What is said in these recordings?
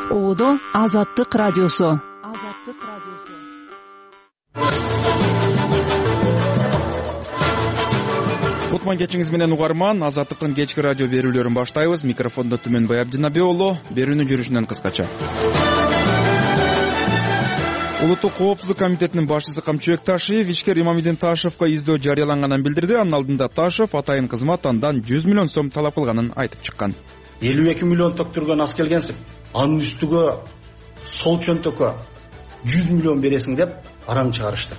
Оодо Азаттык радиосу. Кутман кечиңиз менен угарман, Азаттыктын кечки радио берүүлөрүн баштайбыз. Микрофондо Түмөнбай Абдинабек уулу. Берүүнүн жүрүшүнөн кыскача. Улуттук коопсуздук комитетинин башчысы Камчыбек Ташиев ишкер Имамидин Ташевго издөө жарыяланганын билдирди. Анын алдында Ташев атайын кызмат андан 100 миллион сом талап кылганын айтып чыккан. 52 миллион төктүргөн ас келгенсиң, анын үстүгө сол чөнтөккө 100 миллион бересиң деп араң чыгарышты.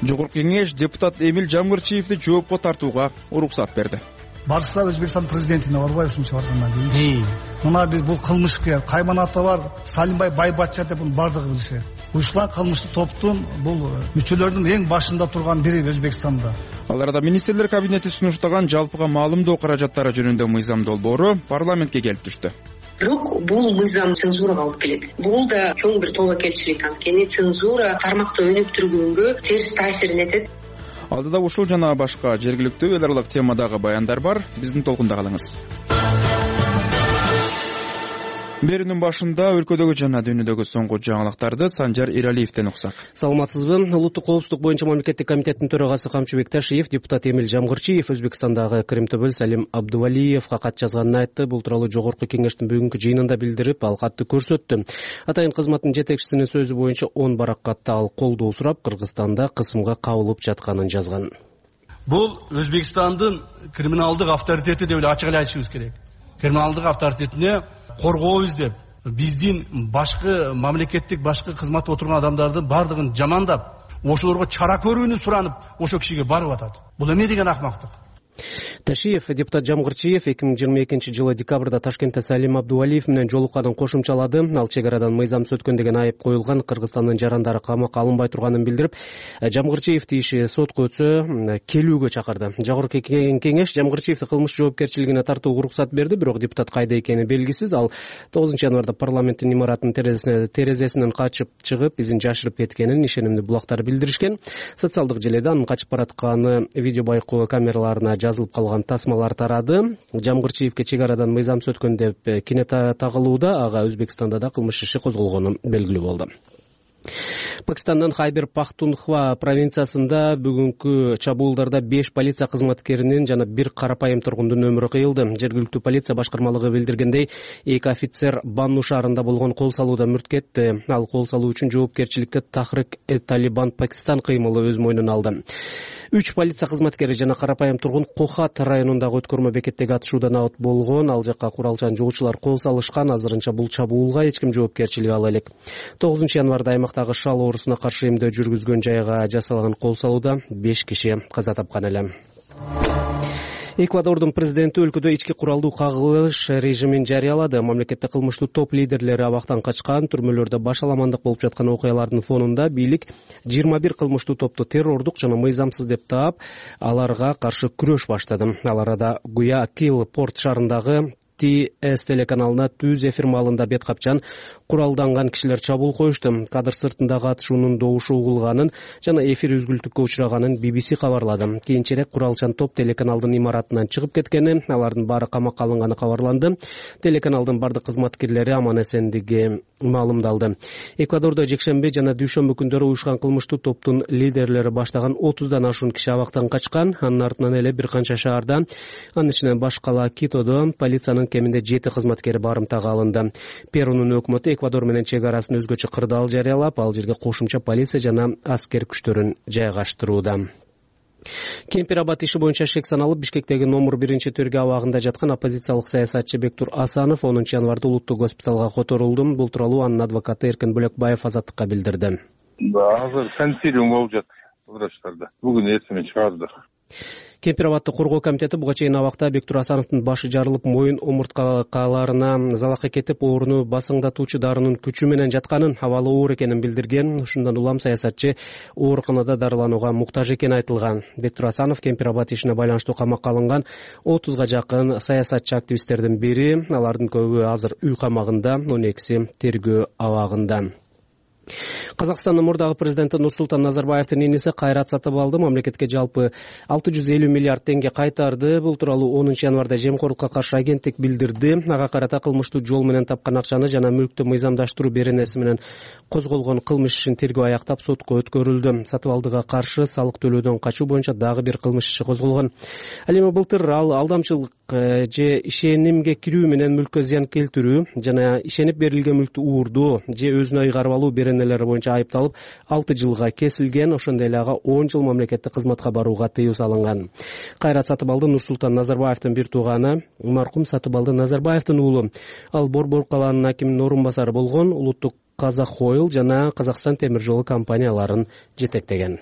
Жогорку кеңеш депутат Эмил Жамгырчиевди жоопко тартууга уруксат берди. Барса Өзбекстан президентине барбай ушунча баргандан кийин. Мына бир бул кылмышкер, Кайманаты бар, Салимбай Байбатча деп муну бардыгы билишет. Ушулар кылмыштуу топтун бул мүчөлөрүнүн эң башында турган бири Өзбекстанда. Аларда министрлер кабинети сунуштаган жалпыга маалымдоо каражаттары жөнүндө мыйзам долбоору парламентке келип түштү. Бирок бул мыйзам цензурага алып келет. Бул да чоң бир тобокелчилик, анткени цензура тармакты өнүктүргөнгө терс таасирин этет. Алдыда ушул жана башка жергиликтүү эл аралык темадагы баяндар бар. Биздин толкунда калыңыз. Берүүнүн башында өлкөдөгү жана дүйнөдөгү соңку жаңылыктарды Санжар Иралиевден уксак. Саламатсызбы? Улуттук коопсуздук боюнча мамлекеттик комитеттин төрагасы Камчыбек Ташиев депутат Эмил Жамгырчиев Өзбекстандагы Кыримтөбөл Салим Абдувалиевге кат жазганын айтты. Бул тууралуу жогорку кеңештин бүгүнкү жыйынында билдирип, ал катты көрсөттү. Атайын кызматтын жетекчисинин сөзү боюнча 10 баракатта ал колдоо сурап, Кыргызстанда кысымга кабылып жатканын жазган. Бул Өзбекстандын криминалдык авторитети деп эле ачык эле айтышыбыз керек. Криминалдык авторитетине коргообуз деп биздин башкы мамлекеттик башкы кызматта отурган адамдардын бардыгын жамандап, ошолорго чара көрүүнү суранып, ошол кишиге барып атат. Бул эмне деген акмактык? Ташиев депутат Жамгырчиев 2022-жылы декабрда Ташкентте Салим Абдувалиев менен жолукканын кошумчалады. Ал чек арадан мыйзам сөткөн деген айып коюлган Кыргызстандын жарандары камакка алынбай турганын билдирип, Жамгырчиевди иши сотко өтсө келүүгө чакырды. Жогорку кеңеш Жамгырчиевди кылмыш жоопкерчилигине тартууга уруксат берди, бирок депутат кайда экени белгисиз. Ал 9-январда парламенттин имаратынын терезесинен качып чыгып, изин жашырып кеткенин ишенимдүү булактар билдиришкен. Социалдык желеде анын качып баратканы видео байкоо камераларына жазылып калган тасмалар тарады. Жамгырчиевге чек арадан мыйзам сөткөн деп кине тагылууда, ага Өзбекстанда да кылмыш иши козголгону белгилүү болду. Пакистандан Хайбер Пахтунхва провинциясында бүгүнкү чабуулдарда 5 полиция кызматкеринин жана 1 карапайым тургундун өмүрү кыйылды. Жергиликтүү полиция башкармалыгы билдиргендей, 2 офицер Банну шаарында болгон кол салууда мүрт кетти. Ал кол салуу үчүн жоопкерчиликти Тахрик-Талибан Пакистан кыймылы өз мойнуна алды. 3 полиция кызматкери жана карапайым тургун Кохат районундагы өткөрмө бекеттеги атышуудан абат болгон. Ал жакка куралчан жугуучулар кол салышкан. Азырынча бул чабуулга эч ким жоопкерчилик ала элек. 9-январда аймактагы шал оорусуна каршы эмдөө жүргүзгөн жайга жасалган кол салууда 5 киши каза тапкан эле. Эквадордун президенти өлкөдө ички куралдуу кагылыш режимин жарыялады. Мамлекетте кылмыштуу топ лидерлери абактан качкан, түрмөлөрдө баш аламандык болуп жаткан окуялардын фонунда бийлик 21 кылмыштуу топту террордук жана мыйзамсыз деп таап, аларга каршы күрөш баштады. Ал арада Гуякил порт шаарындагы ТС телеканалына түз эфир маалында бет капчан куралданган кишилер чабуул коюшту. Кадр сыртындагы атышуунун добушу угулганын жана эфир үзгүлтүккө учураганын BBC кабарлады. Кийинчерээк куралчан топ телеканалдын имаратынан чыгып кеткени, алардын баары камакка алынганы кабарланды. Телеканалдын бардык кызматкерлери аман эсендиги маалымдалды. Эквадордо жекшемби жана дүйшөмбү күндөрү уюшкан кылмыштуу топтун лидерлери баштаган 30дан ашуун киши абактан качкан. Анын артынан эле бир канча шаарда, анын ичинен баш кала Китодо полициянын кеминде 7 кызматкери барымтага алынды. Перунун өкмөтү Эквадор менен чек арасын өзгөчө кырдаал жарыялап, ал жерге кошумча полиция жана аскер күчтөрүн жайгаштырууда. Кемпир-Абад иши боюнча шек саналып, Бишкектеги номер 1-төргө абагында жаткан оппозициялык саясатчы Бектур Асанов 10-январда улуттук госпиталга которулду. Бул тууралуу анын адвокаты Эркен Бөлекбаев Азаттыкка билдирди. Азыр консилиум болуп жатат врачтарда. Бүгүн эртең чыгарды. Кемпир-Абадты коргоо комитети буга чейин абакта Бектур Асановдун башы жарылып, моюн омурткаларына залакы кетип, ооруну басыңдатуучу дарынын күчү менен жатканын, абалы оор экенин билдирген. Ушундан улам саясатчы ооруканада дарыланууга муктаж экени айтылган. Бектур Асанов Кемпир-Абад ишине байланыштуу камакка алынган 30га жакын саясатчы активисттердин бири. Алардын көбү азыр үй камагында, 12си тергөө абагында. Казакстандын мурдагы президенти Нурсултан Назарбаевдин иниси Кайрат Сатыбалды мамлекетке жалпы 650 миллиард теңге кайтарды. Бул тууралуу 10 январда Жемкорлукка каршы агенттик билдирди. Ага карата кылмыштуу жол менен тапкан акчаны жана мүлктү мыйзамдаштыруу беренеси менен козголгон кылмыш ишин тергөө аяктап сотко өткөрүлдү. Сатыбалдыга каршы салык төлөөдөн качуу боюнча дагы бир кылмыш иши козголгон. Ал эми былтыр ал алдамчылык же ишенимге кирүү менен мүлккө зыян келтирүү жана ишенип берилген мүлктү уурдоо же өзүнө ыйгарып алуу беренелери боюнча айыпталып 6 жылга кесилген. Ошондой эле ага 10 жыл мамлекеттик кызматка барууга тыюу салынган. Кайрат Сатыбалды Нурсултан Назарбаевдин бир тууганы, маркум Сатыбалды Назарбаевдин уулу. Ал Борбор калаанын акиминин орун басары болгон, улуттук Казахойл жана Казакстан темир жолу компанияларын жетектеген.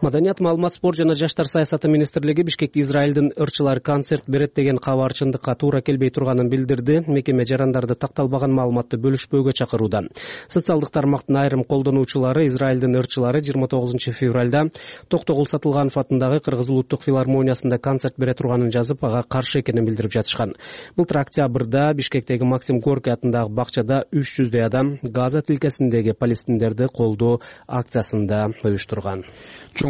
Маданият, маалымат, спорт жана жаштар саясаты министрлиги Бишкекте Израилдин ырчылары концерт берет деген кабар чындыкка туура келбей турганын билдирди. Мекеме жарандарды такталбаган маалыматты бөлүшпөөгө чакырууда. Социалдык тармактын айрым колдонуучулары Израилдин ырчылары 29 февралда Токтогул Сатылганов атындагы Кыргыз улуттук филармониясында концерт бере турганын жазып, ага каршы экенин билдирип жатышкан. Былтыр октябрда Бишкектеги Максим Горький атындагы бакчада 300 адам Газа тилкесиндеги палестиндерди колдоо акциясында уюштурган.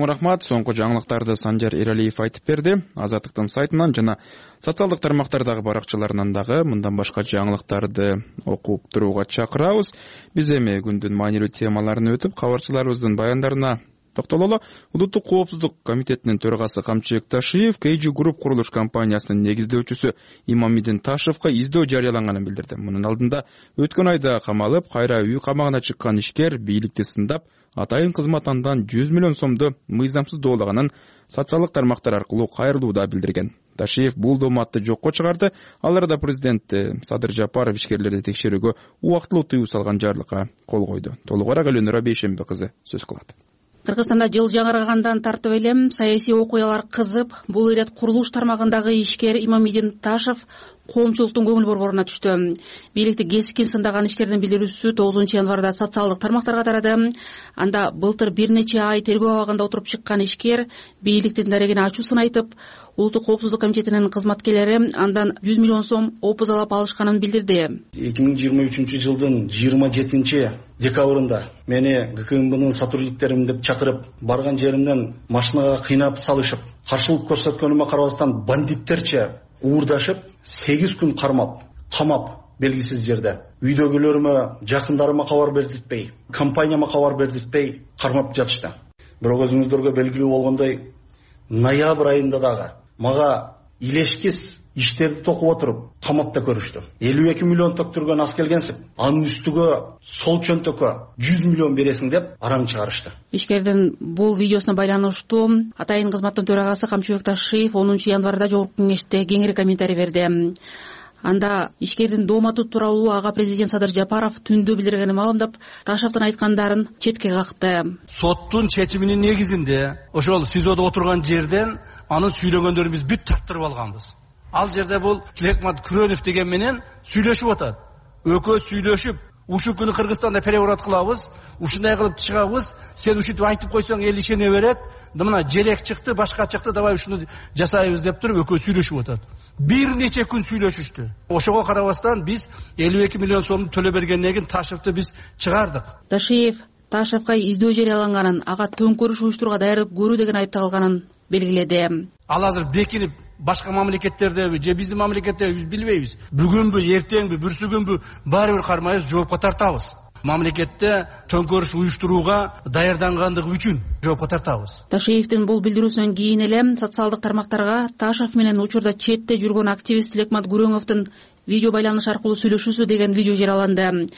Чоң рахмат. Соңку жаңылыктарды Санжар Эралиев айтып берди. Азаттыктын сайтынан жана социалдык тармактардагы баракчаларынан дагы мындан башка жаңылыктарды окуп турууга чакырабыз. Биз эми күндүн маанилүү темаларын өтүп, кабарчыларыбыздын баяндарына токтололу. Улуттук коопсуздук комитетинин төрагасы Камчыбек Ташиев KG Group курулуш компаниясынын негиздөөчүсү Имамидин Ташевка издөө жарыяланганын билдирди. Мунун алдында өткөн айда камалып, кайра үй камагына чыккан ишкер бийликти сындап, атайын кызмат андан 100 миллион сомду мыйзамсыз доолаганын социалдык тармактар аркылуу кайрылууда билдирген. Ташиев бул дооматты жокко чыгарды. Ал арада президент Садыр Жапаров ишкерлерди текшерүүгө убактылуу тыюу салган жарлыкка кол койду. Толугураак Элөнөр Бейшембе кызы сөз кылат. Кыргызстанда жыл жаңыргандан тартып эле саясий окуялар кызып, бул ирет курулуш тармагындагы ишкер Имамидин Ташев коомчулуктун көңүл борборуна түштү. Бийликти кескин сындаган ишкердин билдирүүсү 9 январда социалдык тармактарга тарады. Анда былтыр бир нече ай тергөө абагында отуруп чыккан ишкер бийликтин дарегине ачуусын айтып, Улуттук коопсуздук комитетинин кызматкерлери андан 100 миллион сом опузалап алышканын билдирди. 2023 жылдын 27 декабрында мени ГКМБнын сотрудниктерим деп чакырып, барган жеримден машинага кыйнап салышып, каршылык көрсөткөнүмө карабастан бандиттерче уурдашып, 8 күн кармап, камап белгисиз жерде. Үйдөгүлөрүмө, жакындарыма кабар бердиртпей, компанияма кабар бердиртпей кармап жатышты. Бирок өзүңүздөргө белгилүү болгондой, ноябрь айында дагы мага илешкис иштерди токуп отуруп камап да көрүштү. 52 миллион төктүргөн ас келгенсип, анын үстүгө сол чөнтөккө 100 миллион бересиң деп араң чыгарышты. Ишкердин бул видеосуна байланыштуу атайын кызматтын төрагасы Камчыбек Ташиев 10 январда жогорку кеңеште кеңири комментарий берди. Анда ишкердин дооматы тууралуу ага президент Садыр Жапаров түндө билдиргенин маалымдап, Ташевдин айткандарын четке какты. Соттун чечиминин негизинде ошол СИЗОдо отурган жерден анын сүйлөгөндөрүн биз бүт тарттырып алганбыз. Ал жерде бул Тилекмат Күрөнов деген менен сүйлөшүп атат. Экөө сүйлөшүп, ушул күнү Кыргызстанда переворот кылабыз, ушундай кылып чыгабыз, сен ушинтип айтып койсоң эл ишене берет. Мына желек чыкты, башка чыкты, давай ушуну жасайбыз деп туруп экөө сүйлөшүп атат. Бир нече күн сүйлөшүштү. Ошого карабастан биз 52 миллион сомду төлөп бергенден кийин Ташевди биз чыгардык. Ташиев Ташевка издөө жарыяланганын, ага төңкөрүш уюштурууга даярдык көрүү деген айыпталганын белгиледи. Ал азыр бекинип башка мамлекеттердеби же биздин мамлекеттеби биз билбейбиз. Бүгүнбү, эртеңби, бүрсүгүнбү баары бир кармайбыз, жоопко тартабыз. Мамлекетте төңкөрүш уюштурууга даярдангандыгы үчүн жоопко тартабыз. Ташиевдин бул билдирүүсүнөн кийин эле социалдык тармактарга Ташев менен учурда четте жүргөн активист Тилекмат Күрөновдун видео байланыш аркылуу сүйлөшүүсү деген видео жарыяланды.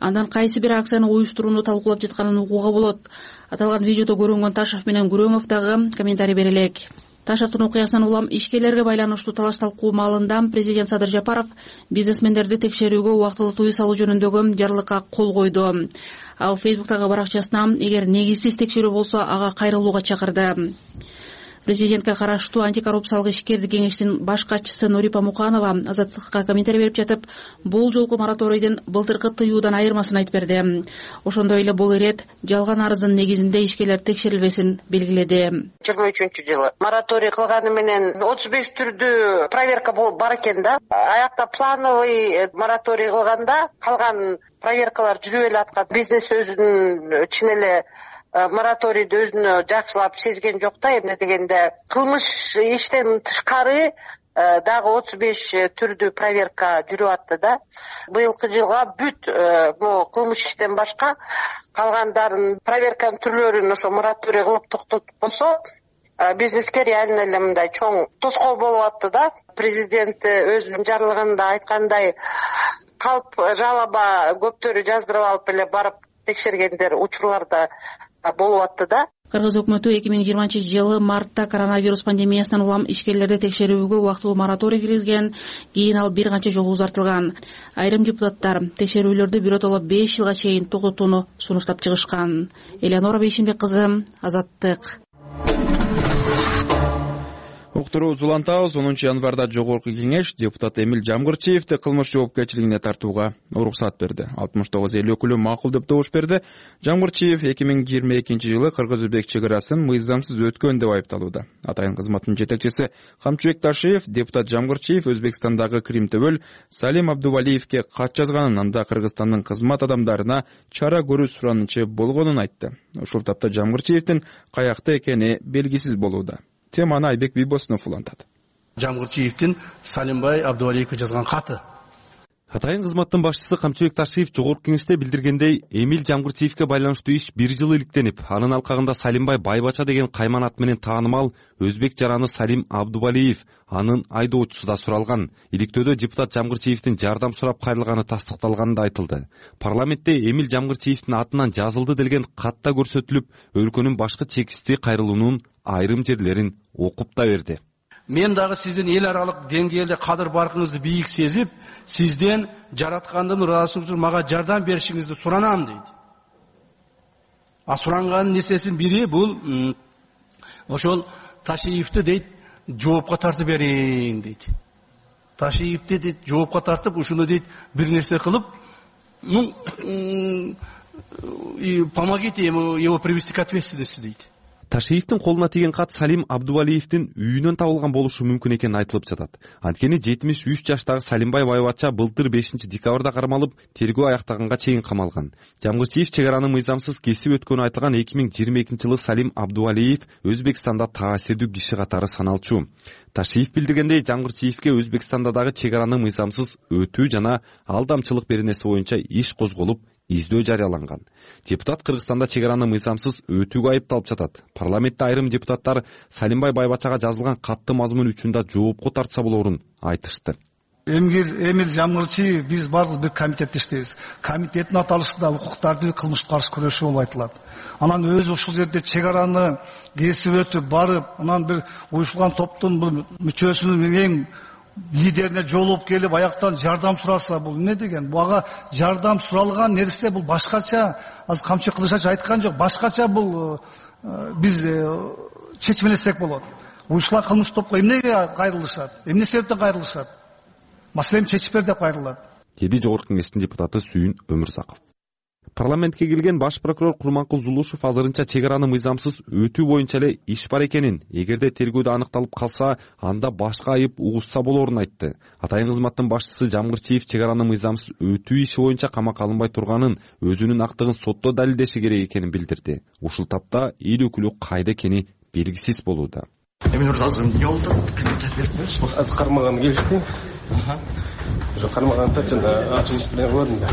Андан кайсы бир акцияны уюштурууну талкуулап жатканын угууга болот. Аталган видеодо көрүнгөн Ташев менен Күрөнов дагы комментарий бере элек. Ташевдин окуясынан улам ишкерлерге байланыштуу талаш талкуу маалында президент Садыр Жапаров бизнесмендерди текшерүүгө убактылуу тыюу салуу жөнүндөгү жарлыкка кол койду. Ал Фейсбуктагы баракчасына эгер негизсиз текшерүү болсо ага кайрылууга чакырды. Президентке караштуу антикоррупциялык ишкердик кеңештин баш катчысы Нурипа Муканова Азаттыкка комментарий берип жатып, бул жолку мораторийдин былтыркы тыюудан айырмасын айтып берди. Ошондой эле бул ирет жалган арыздын негизинде ишкерлер текшерилбесин белгиледи. 23-жылы мораторий кылганы менен 35 түрдүү проверка бар экен да. Аякта плановый мораторий кылганда калган проверкалар жүрүп эле аткан. Бизнес өзүнүн чын эле мораторийди өзүнө жакшылап сезген жок да. Эмне дегенде кылмыш иштен тышкары дагы 35 түрдүү проверка жүрүп атты да. Быйылкы жылга бүт могу кылмыш иштен башка калгандарын проверканын түрлөрүн ошо мораторий кылып токтотуп койсо, бизнеске реально эле мындай чоң тоскоол болуп атты да. Президент өзүнүн жарлыгында айткандай калп жалаба көптөрү жаздырып алып эле барып текшергендер учурларда болуп атты да. Кыргыз өкмөтү 2020-жылы мартта коронавирус пандемиясынан улам ишкерлерди текшерүүгө убактылуу мораторий киргизген, кийин ал бир канча жолу узартылган. Айрым депутаттар текшерүүлөрдү биротоло 5 жылга чейин токтотууну сунуштап чыгышкан. Элеонора Бейшимбек кызы, Азаттык. Уктуруу улантабыз. 10 январда жогорку кеңеш депутат Эмил Жамгырчиевди кылмыш жоопкерчилигине тартууга уруксат берди. 69 эл өкүлү макул деп добуш берди. Жамгырчиев 2022-жылы кыргыз-өзбек чек арасын мыйзамсыз өткөн деп айыпталууда. Атайын кызматтын жетекчиси Камчыбек Ташиев депутат Жамгырчиев Өзбекстандагы Крим-төбөл Салим Абдувалиевке кат жазганын, анда Кыргызстандын кызмат адамдарына чара көрүү суранычы болгонун айтты. Ушул тапта Жамгырчиевдин каякта экени белгисиз болууда. Теманы Айбек Бийбосунов улантат. Жамгырчиевдин Салимбай Абдувалиевке жазган каты. Атайын кызматтын башчысы Камчыбек Ташиев жогорку кеңеште билдиргендей, Эмил Жамгырчиевке байланыштуу иш 1 жыл иликтенип, анын алкагында Салимбай Байбача деген кайман ат менен таанымал өзбек жараны Салим Абдувалиев, анын айдоочусу да суралган. Иликтөөдө депутат Жамгырчиевдин жардам сурап кайрылганы тастыкталганы да айтылды. Парламентте Эмил Жамгырчиевдин атынан жазылды делген катта көрсөтүлүп, өлкөнүн башкы чекисти кайрылуунун айрым жерлерин окуп да берди. Мен дагы сиздин эл аралык деңгээлде кадыр баркыңызды бийик сезип, сизден жараткандын ыраазычылыгы үчүн мага жардам беришиңизди суранам дейт. Суранганын нерсесинин бири бул ошол Ташиевди дейт жоопко тартып бериң дейт. Ташиевди дейт жоопко тартып, ушуну дейт бир нерсе кылып, помогите его привести к ответственности дейт. Ташиевдин колуна тийген кат Салим Абдувалиевдин үйүнөн табылган болушу мүмкүн экени айтылып жатат. Анткени 73 жаштагы Салимбай Байбача былтыр 5 декабрда кармалып, тергөө аяктаганга чейин камалган. Жамгырчиев чек араны мыйзамсыз кесип өткөнү айтылган 2022-жылы Салим Абдувалиев Өзбекстанда таасирдүү киши катары саналчу. Ташиев билдиргендей, Жамгырчиевке Өзбекстанда дагы чек араны мыйзамсыз өтүү жана алдамчылык беренеси боюнча иш козголуп, издөө жарыяланган. Депутат Кыргызстанда чек араны мыйзамсыз өтүүгө айыпталып жатат. Парламентте айрым депутаттар Салимбай Байбачага жазылган катты мазмун үчүн да жоопко тартса болорун айтышты. Эмил Жамгырчиев биз бардык бир комитетте иштейбиз. Комитеттин аталышы да укуктарды кылмышка каршы күрөшүү болуп айтылат. Анан өзү ушул жерде чек араны кесип өтүп барып, анан бир уюшулган топтун бир мүчөсүнүн эң лидерине жолуп келип аяктан жардам сураса, бул эмне деген? Буга жардам суралган нерсе бул башкача. Азыр Камчыбек Кылычбаев айткан жок, башкача бул биз чечмелесек болот. Уюшулган кылмыш топко эмнеге кайрылышат? Эмне себептен кайрылышат? Маселени чечип бер деп кайрылат. Деди жогорку кеңештин депутаты Сүйүн Өмүрзаков. Парламентке келген баш прокурор Курманкул Зулушев азырынча чек араны мыйзамсыз өтүү боюнча эле иш бар экенин, эгерде тергөөдө аныкталып калса, анда башка айып угушса болорун айтты. Атайын кызматтын башчысы Жамгырчиев чек араны мыйзамсыз өтүү иши боюнча камакка алынбай турганын, өзүнүн актыгын сотто далилдеши керек экенин билдирди. Ушул тапта эл өкүлү кайда экени белгисиз болууда. Эмне азыр эмне болду? Комментарий берип берсиңиз. Азыр кармаганы келишти. Кармаганды жана ачыгыш менен көрдүм да.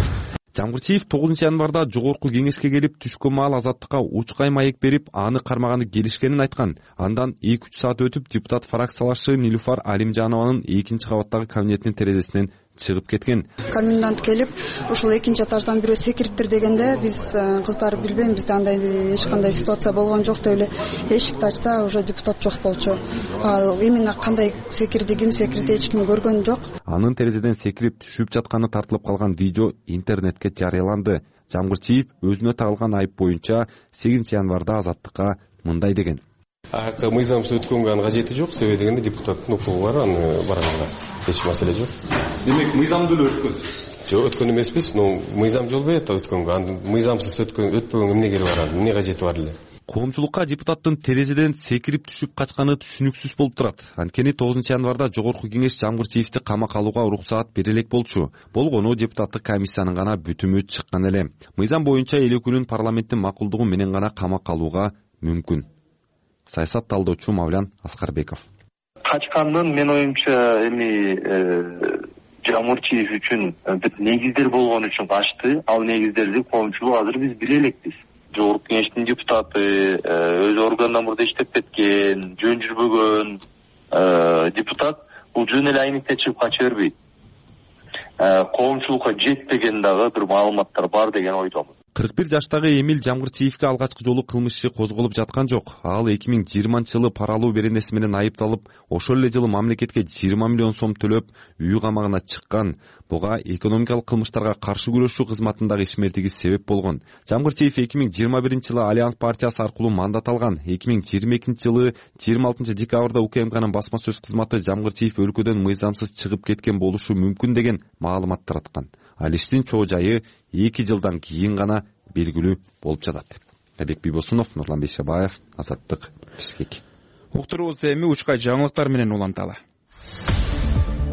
Жамгырчиев 9 январда жогорку кеңешке келип, түшкөн маал Азаттыкка учкай маек берип, аны кармаганы келишкенин айткан. Андан 2-3 саат өтүп, депутат фракциялашы Нилуфар Алимжанованын 2-чи кабаттагы кабинетинин терезесинен чыгып кеткен. Комендант келип, ушул 2-чи этаждан бирөө секириптир дегенде, биз кыздар билбейм, бизде андай эч кандай ситуация болгон жок деп эле эшикти ачса, уже депутат жок болчу. Ал именно кандай секирди, ким секирди, эч ким көргөн жок. Анын терезеден секирип түшүп жатканы тартылып калган видео интернетке жарыяланды. Жамгырчиев өзүнө тагылган айып боюнча 8 январда Азаттыкка мындай деген: Мыйзамсыз өткөнгө анын кажети жок, себеби дегенде депутаттын укугу бар, аны барганга эч маселе жок. Демек мыйзамдуу эле өткөнсүз? Жок, өткөн эмеспиз, но мыйзам жол берет өткөнгө. Аны мыйзамсыз өтпөгөнгө эмне кереги бар, эмне кажети бар эле? Коомчулукка депутаттын терезеден секирип түшүп качканы түшүнүксүз болуп турат. Анткени 9 январда Жогорку Кеңеш Жамгырчиевди камакка алууга уруксаат бере элек болчу. Болгону депутаттык комиссиянын гана бүтүмү чыккан эле. Мыйзам боюнча эл өкүлүн парламенттин макулдугу менен гана камакка алууга мүмкүн. Саясат талдоочу Мавлян Аскарбеков. Качкандын мен оюмча Жамгырчиев үчүн бир негиздер болгон үчүн качты. Ал негиздерди коомчулук азыр биз биле элекпиз. Жогорку Кеңештин депутаты, өз органдан мурда иштеп кеткен, жөн жүрбөгөн депутат бул жөн эле айнекте чыгып кача бербейт. Коомчулукка жетпеген дагы бир маалыматтар бар деген ойдомун. 41 жаштагы Эмил Жамгырчиевге алгачкы жолу кылмыш иши козголуп жаткан жок. Ал 2020-жылы паралуу беренеси менен айыпталып, ошол эле жылы мамлекетке 20 миллион сом төлөп, үй камагына чыккан. Буга экономикалык кылмыштарга каршы күрөшүү кызматындагы ишмердиги себеп болгон. Жамгырчиев 2021-жылы Альянс партиясы аркылуу мандат алган. 2022-жылы 26 декабрда УКМКнын басма сөз кызматы Жамгырчиев өлкөдөн мыйзамсыз чыгып кеткен болушу мүмкүн деген маалымат тараткан. Ал иштин чоо жайы 2 жылдан кийин гана белгилүү болуп жатат. Абек Бийбосунов, Нурлан Бейшебаев, Азаттык, Бишкек. Уктуруубузду эми учка жаңылыктар менен уланталы.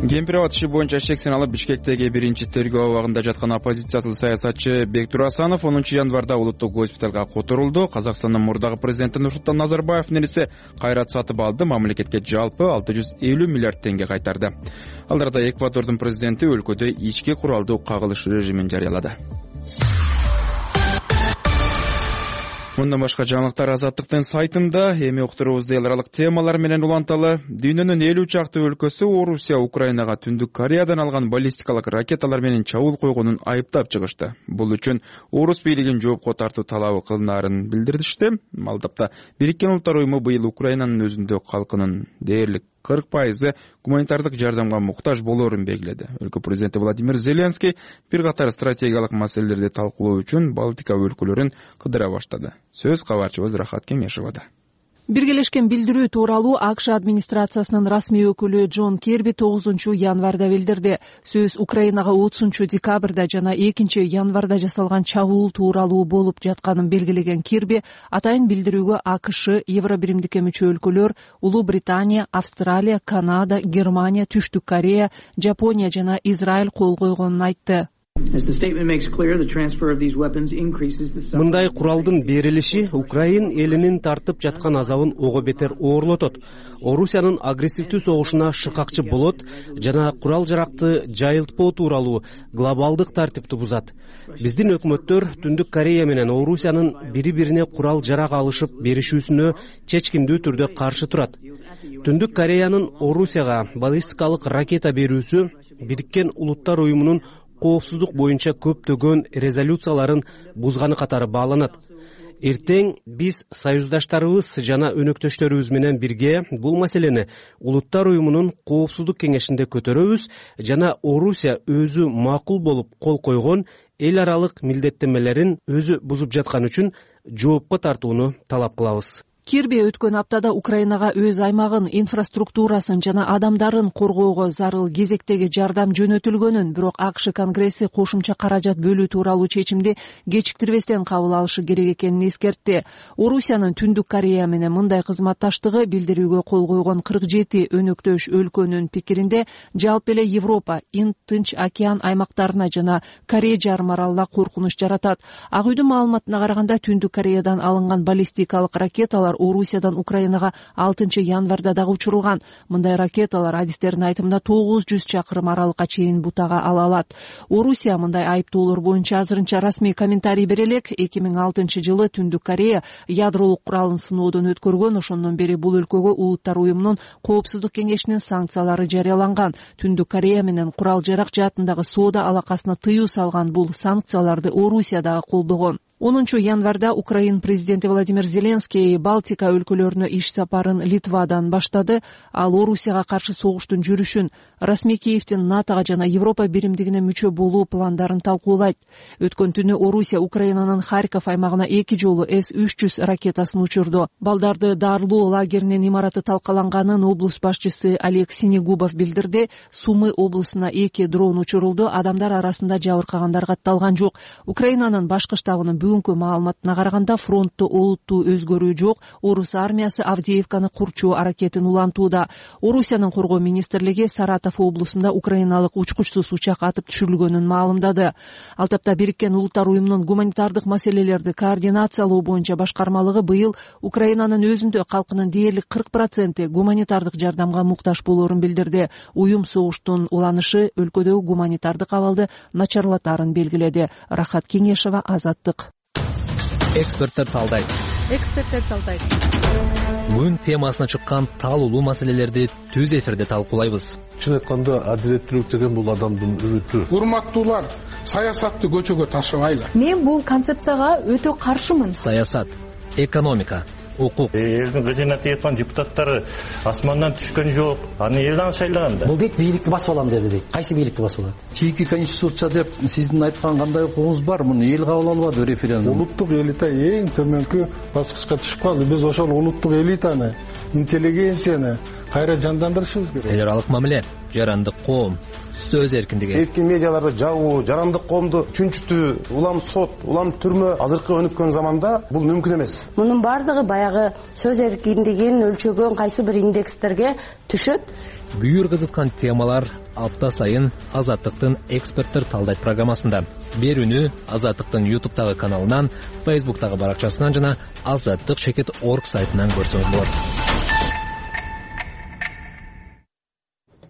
Кемпир-Абад иши боюнча шексин алып Бишкектеги 1-тергөө абагында жаткан оппозициялык саясатчы Бектур Асанов 10 январда улуттук госпиталга которулду. Казакстандын мурдагы президенти Нурсултан Назарбаевдин эниси Кайрат Сатыбалды мамлекетке жалпы 650 миллиард теңге кайтарды. Алдарда Эквадордун президенти өлкөдө ички куралдуу кагылыш режимин жарыялады. Мындан башка жаңылыктар Азаттыктын сайтында. Эми уктуруубузду эл аралык темалар менен уланталы. Дүйнөнүн 50 чакты өлкөсү Орусия Украинага Түндүк Кореядан алган баллистикалык ракеталар менен чабуул койгонун айыптап чыгышты. Бул үчүн Орус бийлигин жоопко тартуу талабы кылынаарын билдиришти. Ал тапта Бириккен Улуттар уюму быйыл Украинанын өзүндө калкынын дээрлик 40% гуманитардык жардамга муктаж болоорун белгиледи. Өлкө президенти Владимир Зеленский бир катар стратегиялык маселелерди талкуулоо үчүн Балтика өлкөлөрүн кыдыра баштады. Сөз кабарчыбыз Рахат Кеңешевада. Биргелешкен билдирүү тууралуу АКШ администрациясынын расмий өкүлү Джон Кирби 9 январда билдирди. Сөз Украинага 30 декабрда жана 2 январда жасалган чабуул тууралуу болуп жатканын белгилеген Кирби атайын билдирүүгө АКШ, Евробиримдикке мүчө өлкөлөр, Улуу Британия, Австралия, Канада, Германия, Түштүк Корея, Жапония жана Израиль кол койгонун айтты. Мындай куралдын берилиши Украин элинин тартып жаткан азабын ого бетер оорлотот. Орусиянын агрессивдүү согушуна шыкакчы болот жана курал-жаракты жайылтпоо тууралуу глобалдык тартипти бузат. Биздин өкмөттөр Түндүк Корея менен Орусиянын бири-бирине курал-жарак алышып беришүүсүнө чечкиндүү түрдө каршы турат. Түндүк Кореянын Орусияга баллистикалык ракета берүүсү Бириккен Улуттар уюмунун коопсуздук боюнча көптөгөн резолюцияларын бузганы катары бааланат. Эртең биз союздаштарыбыз жана өнөктөштөрүбүз менен бирге бул маселени Улуттар уюмунун коопсуздук кеңешинде көтөрөбүз жана Орусия өзү макул болуп кол койгон эл аралык милдеттенмелерин өзү бузуп жаткан үчүн жоопко тартууну талап кылабыз. Кирби өткөн аптада Украинага өз аймагын, инфраструктурасын жана адамдарын коргоого зарыл кезектеги жардам жөнөтүлгөнүн, бирок АКШ Конгресси кошумча каражат бөлүү тууралуу чечимди кечиктирбестен кабыл алышы керек экенин эскертти. Орусиянын Түндүк Корея менен мындай кызматташтыгы билдирүүгө кол койгон 47 өнөктөш өлкөнүн пикиринде жалпы эле Европа, Тынч океан аймактарына жана Корея жарым аралына коркунуч жаратат. Ак үйдүн маалыматына караганда Түндүк Кореядан алынган баллистикалык ракеталар Орусиядан Украинага 6 январда дагы учурулган. Мындай ракеталар адистердин айтымында 900 чакырым аралыкка чейин бутага ала алат. Орусия мындай айыптоолор боюнча азырынча расмий комментарий бере элек. 2006 жылы Түндүк Корея ядролук куралын сыноодон өткөргөн. Ошондон бери бул өлкөгө Улуттар уюмунун коопсуздук кеңешинин санкциялары жарыяланган. Түндүк Корея менен курал-жарак жаатындагы соода алакасына тыюу салган бул санкцияларды Орусия дагы колдогон. 10 январда Украин президенти Владимир Зеленский Балтика өлкөлөрүнө иш сапарын Литвадан баштады. Ал Орусияга каршы согуштун жүрүшүн, расмий Киевдин НАТОга жана Европа биримдигине мүчө болуу пландарын талкуулайт. Өткөн түнү Орусия Украинанын Харьков аймагына 2 жолу С-300 ракетасын учурду. Балдарды дарылоо лагеринин имараты талкаланганын облус башчысы Олег Синегубов билдирди. Сумы облусуна 2 дрон учурулду. Адамдар арасында жабыркагандар катталган жок. Украинанын башкы штабынын бүгүнкү маалыматына караганда фронтто олуттуу өзгөрүү жок. Орус армиясы Авдеевканы курчуу аракетин улантууда. Орусиянын коргоо министрлиги Саратов облусунда украиналык учкучсуз учак атып түшүрүлгөнүн маалымдады. Ал тапта Бириккен Улуттар уюмунун гуманитардык маселелерди координациялоо боюнча башкармалыгы быйыл Украинанын өзүндө калкынын дээрлик 40% гуманитардык жардамга муктаж болоорун билдирди. Уюм согуштун уланышы өлкөдөгү гуманитардык абалды начарлатарын белгиледи. Рахат Кеңешова, Азаттык. Эксперттер талдайт. Күн темасына чыккан талуулуу маселелерди түз эфирде талкуулайбыз. Чын айтканда адилеттүүлүк деген бул адамдын үмүтү. Урматтуулар, саясатты көчөгө ташыбайлы. Мен бул концепцияга өтө каршымын. Саясат, экономика, укук. Элдин кызмат эткан депутаттары асмандан түшкөн жок. Аны элден шайлаган да. Бул дейт бийликти басып алам деди дейт. Кайсы бийликти басып алат? Чийки конституция деп сиздин айткан кандай укугуңуз бар? Муну эл кабыл албады референдум. Улуттук элита эң төмөнкү баскычка түшүп калды. Биз ошол улуттук элитаны, интеллигенцияны кайра жандандырышыбыз керек. Эл аралык мамиле, жарандык коом, сөз эркиндиги. Эркин медиаларды жабуу, жарандык коомду чүнчүтүү, улам сот, улам түрмө азыркы өнүккөн заманда бул мүмкүн эмес. Мунун бардыгы баягы сөз эркиндигин өлчөгөн кайсы бир индекстерге түшөт. Бүйүр кызыткан темалар апта сайын Азаттыктын эксперттер талдайт программасында. Берүүнү Азаттыктын YouTube'тагы каналынан, Facebook'тагы баракчасынан жана azattik.org сайтынан көрсөңүз болот.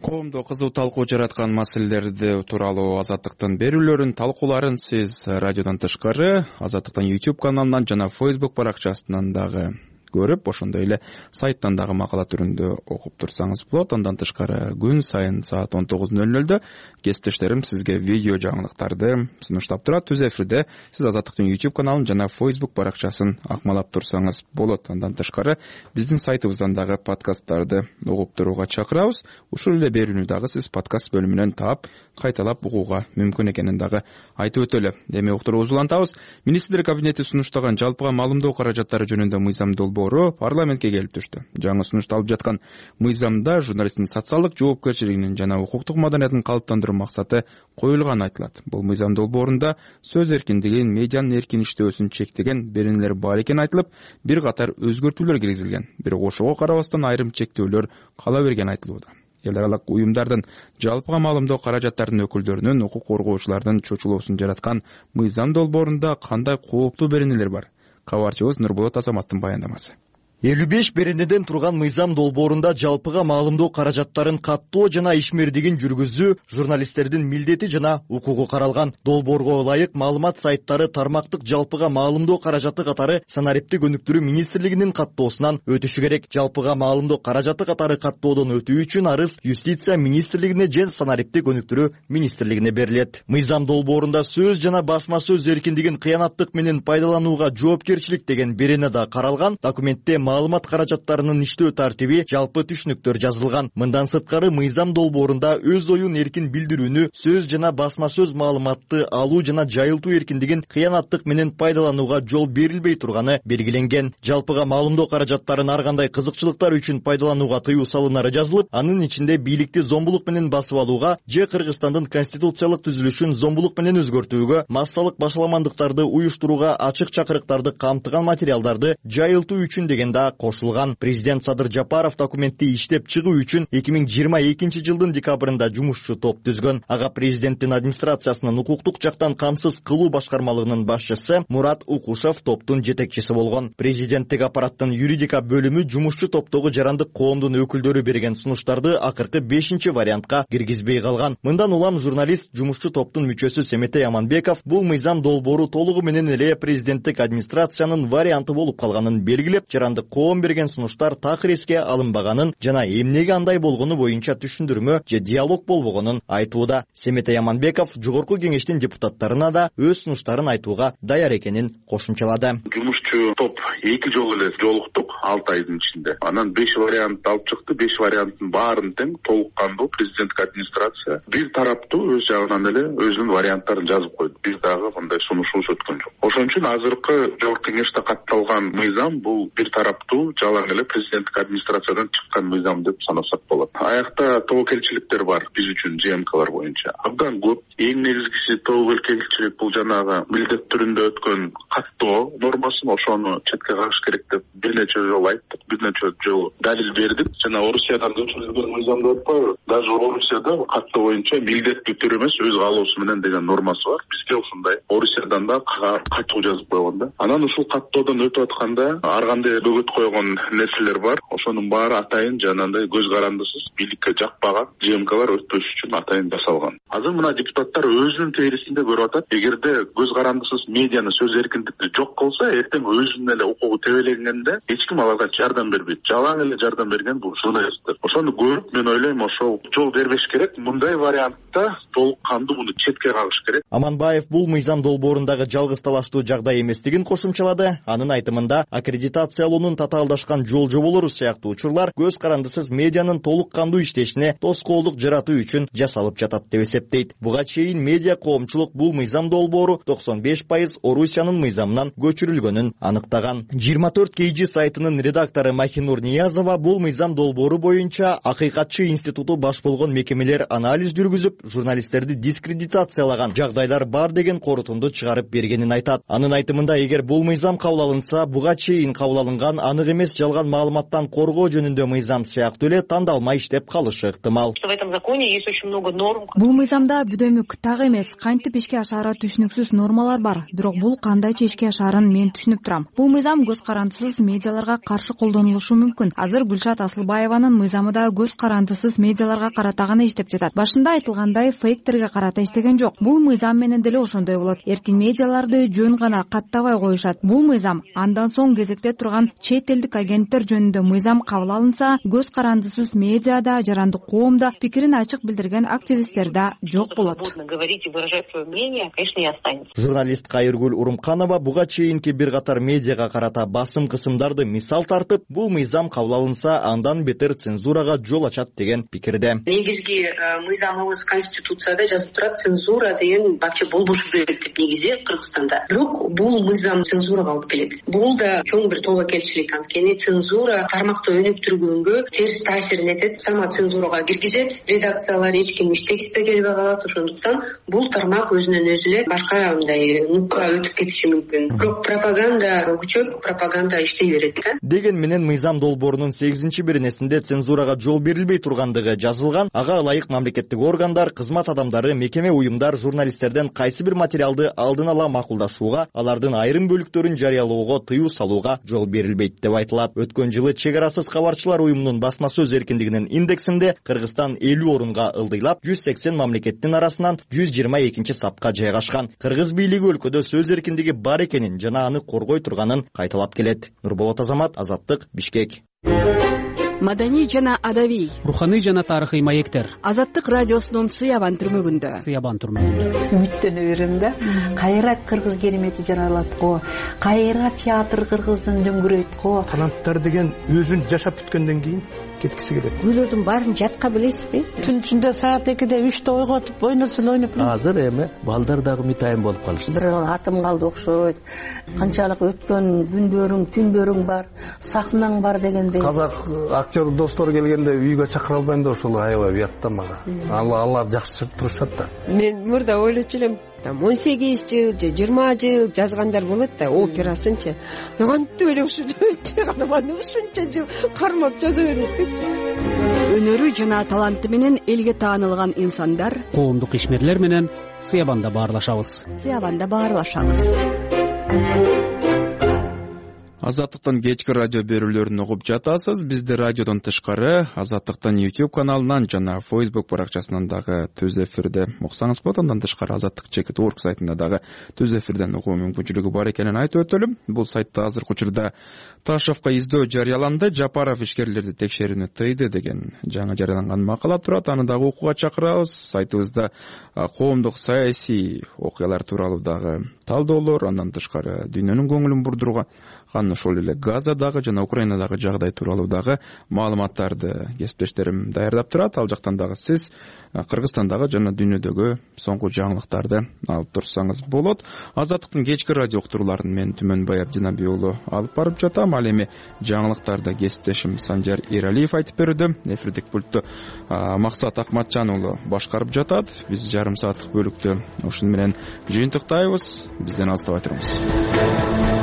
Коомдо кызуу талкуу жараткан маселелерди тууралуу Азаттыктын берүүлөрүн, талкууларын сиз радиодон тышкары Азаттыктын YouTube каналынан жана Facebook баракчасынан дагы көрүп, ошондой эле сайттан дагы макала түрүндө окуп турсаңыз болот. Андан тышкары күн сайын саат 19:00 кесиптештерим сизге видео жаңылыктарды сунуштап турат. Түз эфирде сиз Азаттыктын YouTube каналын жана Facebook баракчасын акмалап турсаңыз болот. Андан тышкары биздин сайтыбыздан дагы подкасттарды угуп турууга чакырабыз. Ушул эле берүүнү дагы сиз подкаст бөлүмүнөн таап, кайталап угууга мүмкүн экенин дагы айтып өтөлү. Эми уктуруубузду улантабыз. Министрлер кабинети сунуштаган жалпыга маалымдоо каражаттары жөнүндө мыйзам долбоору парламентке келип түштү. Жаңы сунушталып жаткан мыйзамда журналисттин социалдык жоопкерчилигинин жана укуктук маданиятын калыптандыруу максаты коюлганы айтылат. Бул мыйзам долбоорунда сөз эркиндигин, медианын эркин иштөөсүн чектеген беренелер бар экени айтылып, бир катар өзгөртүүлөр киргизилген. Бирок ошого карабастан айрым чектөөлөр кала бергени айтылууда. Эл аралык уюмдардын жалпыга маалымдоо каражаттарынын өкүлдөрүнүн укук коргоочулардын чочулоосун жараткан мыйзам долбоорунда кандай кооптуу беренелер бар? Кабарчыбыз Нурболот Азаматтын баяндамасы. 55 беренеден турган мыйзам долбоорунда жалпыга маалымдоо каражаттарын каттоо жана ишмердигин жүргүзүү журналисттердин милдети жана укугу каралган. Долбоорго ылайык маалымат сайттары тармактык жалпыга маалымдоо каражаты катары санариптик өнүктүрүү министрлигинин каттоосунан өтүшү керек. Жалпыга маалымдоо каражаты катары каттоодон өтүү үчүн арыз юстиция министрлигине же санариптик өнүктүрүү министрлигине берилет. Мыйзам долбоорунда сөз жана басма сөз эркиндигин кыянаттык менен пайдаланууга жоопкерчилик деген берене да каралган. Документте маалымат каражаттарынын иштөө тартиби, жалпы түшүнүктөр жазылган. Мындан сырткары мыйзам долбоорунда өз оюн эркин билдирүүнү, сөз жана басма сөз маалыматты алуу жана жайылтуу эркиндигин кыянаттык менен пайдаланууга жол берилбей турганы белгиленген. Жалпыга маалымдоо каражаттарын ар кандай кызыкчылыктар үчүн пайдаланууга тыюу салынары жазылып, анын ичинде бийликти зомбулук менен басып алууга же Кыргызстандын конституциялык түзүлүшүн зомбулук менен өзгөртүүгө, массалык башаламандыктарды уюштурууга ачык чакырыктарды камтыган материалдарды жайылтуу үчүн деген кошулган. Президент Садыр Жапаров документти иштеп чыгуу үчүн 2022 жылдын декабрында жумушчу топ түзгөн. Ага президенттин администрациясынын укуктук жактан камсыз кылуу башкармалыгынын башчысы Мурат Укушев топтун жетекчиси болгон. Президенттик аппараттын юридика бөлүмү жумушчу топтогу жарандык коомдун өкүлдөрү берген сунуштарды акыркы 5-вариантка киргизбей калган. Мындан улам журналист жумушчу топтун мүчөсү Семетей Аманбеков бул мыйзам долбоору толугу менен эле президенттик администрациянын варианты болуп калганын белгилеп, жарандык жарандык коом берген сунуштар такыр эске алынбаганын жана эмнеге андай болгону боюнча түшүндүрмө же диалог болбогонун айтууда. Семетей Аманбеков жогорку кеңештин депутаттарына да өз сунуштарын айтууга даяр экенин кошумчалады. Жумушчу топ 2 жолу эле жолуктук 6 айдын ичинде. Анан 5 вариант алып чыкты. 5 варианттын баарын тең толук кандуу президенттик администрация бир тараптуу өз жагынан эле өзүнүн варианттарын жазып койду. Биз дагы мындай сунушубуз өткөн жок. Ошон үчүн азыркы жогорку кеңеште катталган мыйзам бул бир тараптуу жалаң эле президенттик администрациядан чыккан мыйзам деп санасак болот. Аякта тобокелчиликтер бар биз үчүн ЖМКлар боюнча. Абдан көп. Эң негизгиси тобокелчилик бул жанагы милдет түрүндө өткөн каттоо нормасын ошону четке кагыш керек деп бир нече жолу айттык, бир нече жолу далил бердик. Жана Орусиядан көчүрүлгөн мыйзамды өтпөйбү? Даже Орусияда каттоо боюнча милдеттүү түрү эмес өз каалоосу менен деген нормасы бар. Бизге ушундай Орусиядан да катуу жазып койгон да. Анан ушул каттоодон өтүп атканда ар кандай бөгөт койгон нерселер бар. Ошонун баары атайын жанагындай көз карандысыз бийликке жакпаган ЖМКлар өтпөш үчүн атайын жасалган. Азыр мына депутаттар өзүнүн терисинде көрүп атат. Эгерде көз карандысыз медианы сөз эркиндикти жок кылса, эртең өзүнүн эле укугу тебеленгенде эч ким аларга жардам бербейт. Жалаң эле жардам берген бул журналисттер. Ошону көрүп мен ойлойм ошол жол бербеш керек. Мындай вариантта толук кандуу муну четке кагыш керек. Аманбаев бул мыйзам долбоорундагы жалгыз талаштуу жагдай эместигин кошумчалады. Анын айтымында аккредитациялоонун татаалдашкан жол жоболору сыяктуу учурлар көз карандысыз медианын толук кандуу иштешине тоскоолдук жаратуу үчүн жасалып жатат деп эсептейт. Буга чейин медиа коомчулук бул мыйзам долбоору 95% Орусиянын мыйзамынан көчүрүлгөнүн аныктаган. 24 KG сайтынын редактору Махинур Ниязова бул мыйзам долбоору боюнча акыйкатчы институту баш болгон мекемелер анализ жүргүзүп, журналисттерди дискредитациялаган жагдайлар бар деген корутунду чыгарып бергенин айтат. Анын айтымында эгер бул мыйзам кабыл алынса, буга чейин кабыл алынган анык эмес жалган маалыматтан коргоо жөнүндө мыйзам сыяктуу эле тандалмай иштеп калышы ыктымал. Бул мыйзамда бүдөмүк так эмес, кантип ишке ашаары түшүнүксүз нормалар бар. Бирок бул кандайча ишке ашаарын мен түшүнүп турам. Бул мыйзам көз карандысыз медиаларга каршы колдонулушу мүмкүн. Азыр Гүлшат Асылбаеванын мыйзамы да көз карандысыз медиаларга карата гана иштеп жатат. Башында айтылгандай фейктерге карата иштеген жок. Бул мыйзам менен деле ошондой болот. Эркин медиаларды жөн гана каттабай коюшат. Бул мыйзам андан соң кезекте турган чет элдик агенттер жөнүндө мыйзам кабыл алынса, көз карандысыз медиада, жарандык коомдо пикирин ачык билдирген активисттер да жок болот. Журналист Кайыргүл Урумканова буга чейинки бир катар медиага карата басым кысымдарды мисал тартып, бул мыйзам кабыл алынса, андан бетер цензурага жол ачат деген пикирде. Негизги мыйзамыбыз конституцияда жазып турат, цензура деген вообще болбошу керек деп негизи Кыргызстанда. Бирок бул мыйзам цензурага алып келет. Бул да чоң бир тобокелчилик. Анткени цензура тармакты өнүктүргөнгө терс таасирин этет. Сама цензурага киргизет, редакциялар эч ким иштегисе келбей калат. Ошондуктан бул тармак өзүнөн өзү эле башка мындай нукка өтүп кетиши мүмкүн. Бирок пропаганда күчөп, пропаганда иштей берет да. Деген менен мыйзам долбоорунун 8-беренесинде цензурага жол берилбей тургандыгы жазылган. Ага ылайык мамлекеттик органдар, кызмат адамдары, мекеме, уюмдар журналисттерден кайсы бир материалды алдын ала макулдашууга, алардын айрым бөлүктөрүн жарыялоого тыюу салууга жол берилбейт деп айтылат. Өткөн жылы Чек арасыз кабарчылар уюмунун басма сөз эркиндигинин индексинде Кыргызстан 50 орунга ылдыйлап, 180 мамлекеттин арасынан 122-сапка жайгашкан. Кыргыз бийлиги өлкөдө сөз эркиндиги бар экенин жана аны коргой турганын кайталап келет. Нурболот Азамат, Азаттык, Бишкек. Маданий жана адабий, руханий жана тарыхый маектер. Азаттык радиосунун Сыябан түрмөгүндө. Үмүттөнө берем да. Кайра кыргыз керемети жаралат го. Кайра театр кыргыздын дөңгүрөйт го. Таланттар деген өзүн жашап бүткөндөн кийин кеткиси келет. Күйлөрдүн баарын жатка билесизби? Түн ичинде саат 2-де 3-те ойготуп ойносо ойноп. Азыр эми балдар дагы митайын болуп калышты. Бир атым калды окшойт. Канчалык өткөн күндөрүң, түндөрүң бар, сахнаң бар дегендей. Казак актер достор келгенде үйгө чакыра албайм да ошол аябай уят да мага. Алар жакшы турушат да. Мен мурда ойлочу элем, 18 жыл же 20 жыл жазгандар болот да, операсынчы. Кантип эле ушунча жыл кармап жаза берет деп. Өнөрү жана таланты менен элге таанылган инсандар, коомдук ишмерлер менен Сыябанда баарлашабыз. Азаттыктын кечки радио берүүлөрүн угуп жатасыз. Бизди радиодон тышкары Азаттыктын YouTube каналынан жана Facebook баракчасынан дагы түз эфирде уксаңыз болот. Андан тышкары azattik.org сайтында дагы түз эфирден угуу мүмкүнчүлүгү бар экенин айтып өтөлү. Бул сайтта азыркы учурда Ташевка издөө жарыяланды. Жапаров ишкерлерди текшерүүнү тыйды деген жаңы жарыяланган макала турат. Аны дагы окууга чакырабыз. Сайтыбызда коомдук саясий окуялар тууралуу дагы талдоолор, андан тышкары дүйнөнүн көңүлүн бурдурууга ошол эле Газадагы жана Украинадагы жагдай тууралуу дагы маалыматтарды кесиптештерим даярдап турат. Ал жактан дагы сиз Кыргызстандагы жана дүйнөдөгү соңку жаңылыктарды алып турсаңыз болот. Азаттыктын кечки радио уктурууларын мен Түмөнбай Абдинабий уулу алып барып жатам. Ал эми жаңылыктарды кесиптешим Санжар Эралиев айтып берүүдө. Эфирдик пультту Максат Акматжан уулу башкарып жатат. Биз жарым сааттык бөлүктү ушуну менен жыйынтыктайбыз. Бизден алыстабай туруңуз.